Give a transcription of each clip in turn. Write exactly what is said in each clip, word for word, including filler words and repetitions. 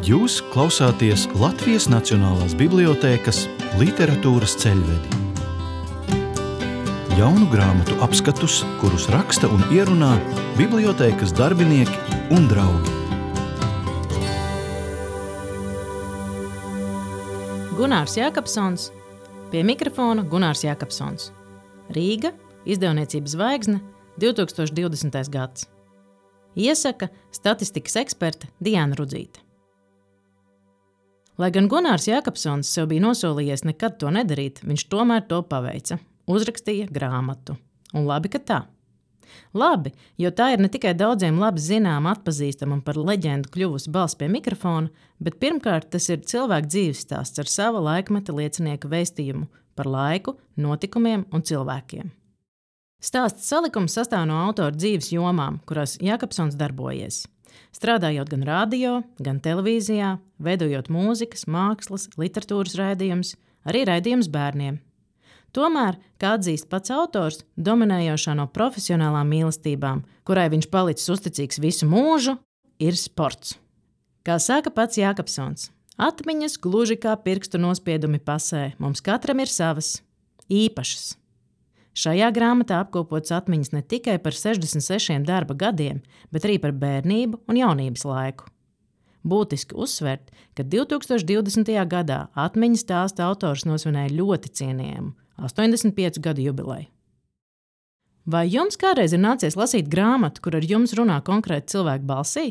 Jūs klausāties Latvijas Nacionālās bibliotēkas literatūras ceļvedi. Jaunu grāmatu apskatus, kurus raksta un ierunā bibliotēkas darbinieki un draugi. Gunārs Jākapsons, pie mikrofona Gunārs Jākapsons. Rīga, izdevniecības Zvaigzne, divtūkstoš divdesmitais gads. Iesaka statistikas eksperte Diana Rudzīte. Lai gan Gunārs Jākapsons sev bija nosolījies nekad to nedarīt, viņš tomēr to paveica. Uzrakstīja grāmatu. Un labi, ka tā. Labi, jo tā ir ne tikai daudziem labi zināma, atpazīstama un par leģendu kļuvusi balss pie mikrofona, bet pirmkārt tas ir cilvēku dzīvesstāsts ar sava laikmeta liecinieka vēstījumu par laiku, notikumiem un cilvēkiem. Stāsts salikums sastāv no autora dzīves jomām, kurās Jākapsons darbojies. Strādājot gan radio, gan televīzijā, veidojot mūzikas, mākslas, literatūras raidījumus, arī raidījumus bērniem. Tomēr, kā atzīst pats autors, dominējošā no profesionālām mīlestībām, kurai viņš palicis uzticīgs visu mūžu, ir sports. Kā saka pats Jākapsons, atmiņas gluži kā pirkstu nospiedumi pasē, mums katram ir savas, īpašas. Šajā grāmatā apkopots atmiņas ne tikai par sešdesmit sešiem darba gadiem, bet arī par bērnību un jaunības laiku. Būtiski uzsvert, ka divtūkstoš divdesmitajā gadā atmiņas stāsta autors nosvinēja ļoti cienījumu astoņdesmit piecu gadu jubileju. Vai jums kādreiz ir nācies lasīt grāmatu, kur ar jums runā konkrēti cilvēku balsī?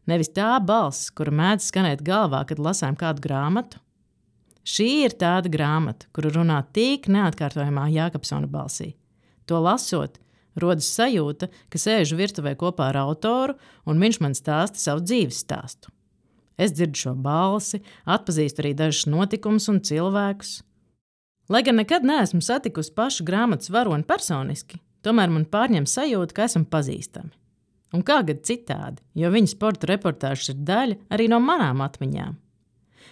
Nevis tā balss, kura mēdz skanēt galvā, kad lasām kādu grāmatu? Šī ir tāda grāmata, kuru runā tik neatkārtojamā Jākapsona balsī. To lasot, rodas sajūta, ka sēžu virtuvē kopā ar autoru un viņš man stāsta savu dzīves stāstu. Es dzirdu šo balsi, atpazīstu arī dažus notikumus un cilvēkus. Lai gan nekad neesmu satikusi pašu grāmatas varoni personiski, tomēr man pārņem sajūta, ka esam pazīstami. Un kā gad citādi, jo viņa sporta reportāžas ir daļa arī no manām atmiņām.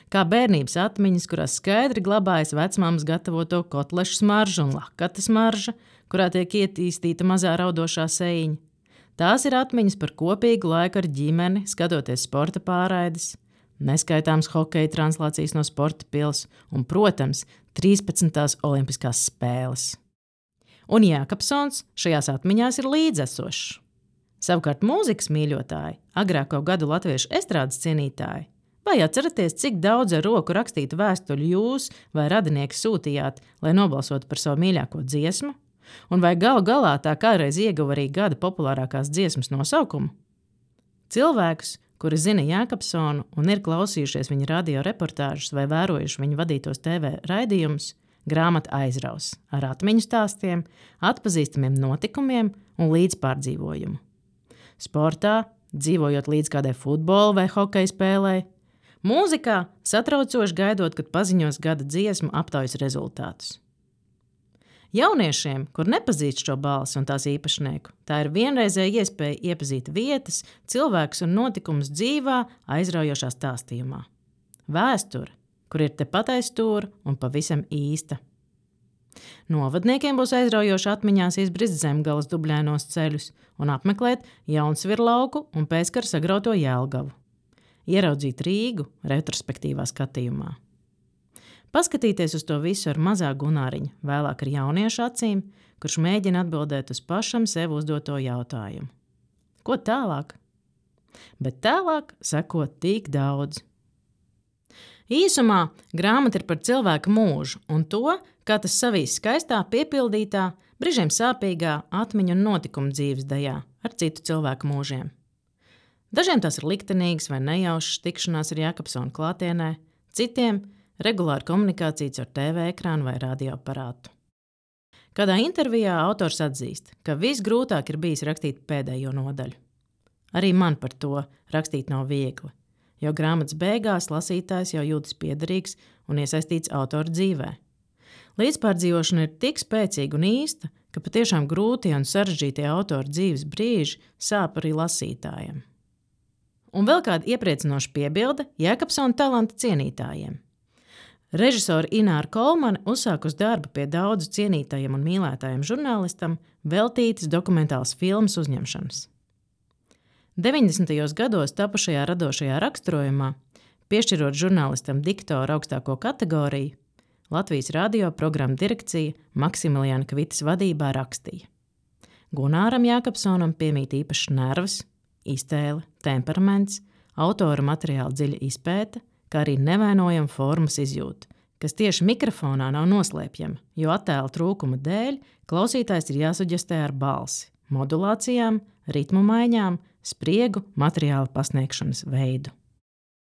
Kā bērnības atmiņas, kurās skaidri glabājas vecmāmas gatavoto kotlešu smarža un lakata smarža, kurā tiek ietīstīta mazā raudošā sējiņa. Tās ir atmiņas par kopīgu laiku ar ģimeni, skatoties sporta pārraides, neskaitāms hokeja translācijas no sporta pils un, protams, trīspadsmitās olimpiskās spēles. Un Jākapsons šajās atmiņās ir līdzesošs. Savukārt mūzikas mīļotāji, agrāko gadu latviešu estrādes cienītāji, vai atceraties, cik daudz ar roku rakstītu vēstuļu jūs vai radinieki sūtījāt, lai nobalsotu par savu mīļāko dziesmu? Un vai galu galā tā kādreiz ieguva arī gada populārākās dziesmas nosaukumu? Cilvēkus, kuri zina Jākapsonu un ir klausījušies viņa radio reportāžas vai vērojuši viņa vadītos T V raidījumus, grāmata aizraus ar atmiņu stāstiem, atpazīstamiem notikumiem un līdzpārdzīvojumu. Sportā, dzīvojot līdz kādai futbola vai hokeja spēlē, mūzikā satraucoši gaidot, kad paziņos gada dziesmu aptaujas rezultātus. Jauniešiem, kur nepazīst šo balsi un tās īpašnieku, tā ir vienreizēja iespēja iepazīt vietas, cilvēkus un notikumus dzīvā, aizraujošā stāstījumā. Vēsture, kur ir tepat aiz stūra un pavisam īsta. Novadniekiem būs aizraujoši atmiņās izbrist Zemgales dubļainos ceļus un apmeklēt Jaunsvirlauku un pēckara sagrauto Jelgavu. Ieraudzīt Rīgu retrospektīvā skatījumā. Paskatīties uz to visu ar mazā Gunāriņa, vēlāk ar jauniešu acīm, kurš mēģina atbildēt uz pašam sev uzdoto jautājumu. Ko tālāk? Bet tālāk seko tik daudz. Īsumā grāmata ir par cilvēka mūžu un to, kā tas savīs skaistā, piepildītā, brīžiem sāpīgā atmiņu un notikumu dzīves dejā ar citu cilvēku mūžiem. Dažiem tās ir liktenīgas vai nejaušas tikšanās ar Jākapsona klātienē, citiem regulāra komunikācija ar T V ekrānu vai radioaparātu. Kādā intervijā autors atzīst, ka visgrūtāk ir bijis rakstīt pēdējo nodaļu. Arī man par to rakstīt nav viegli, jo grāmatas beigās lasītājs jau jūtas piederīgs un iesaistīts autora dzīvē. Līdzpārdzīvošana ir tik spēcīga un īsta, ka patiešām grūtie un sarežģītie autora dzīves brīži sāp arī lasītājiem. Un vēl kāda iepriecinoša piebilde Jākapsona talanta cienītājiem. Režisora Ināra Kolmane uzsākus darbu pie daudzu cienītajiem un mīlētājiem žurnālistam veltītas dokumentālas filmas uzņemšanas. deviņdesmitajos gados tapušajā radošajā raksturojumā Piešķirot žurnālistam diktoru augstāko kategoriju, Latvijas radio programmu direkcija Maksimiliāna Kvitas vadībā rakstīja: Gunāram Jākapsonam piemīt īpašs nervs, iztēle, temperaments, autora materiāla dziļa izpēte, kā arī nevainojama formas izjūta, kas tieši mikrofonā nav noslēpjama, jo attēla trūkuma dēļ klausītājs ir jāsuģestē ar balsi, modulācijām, ritmu maiņām, spriegu, materiāla pasniegšanas veidu.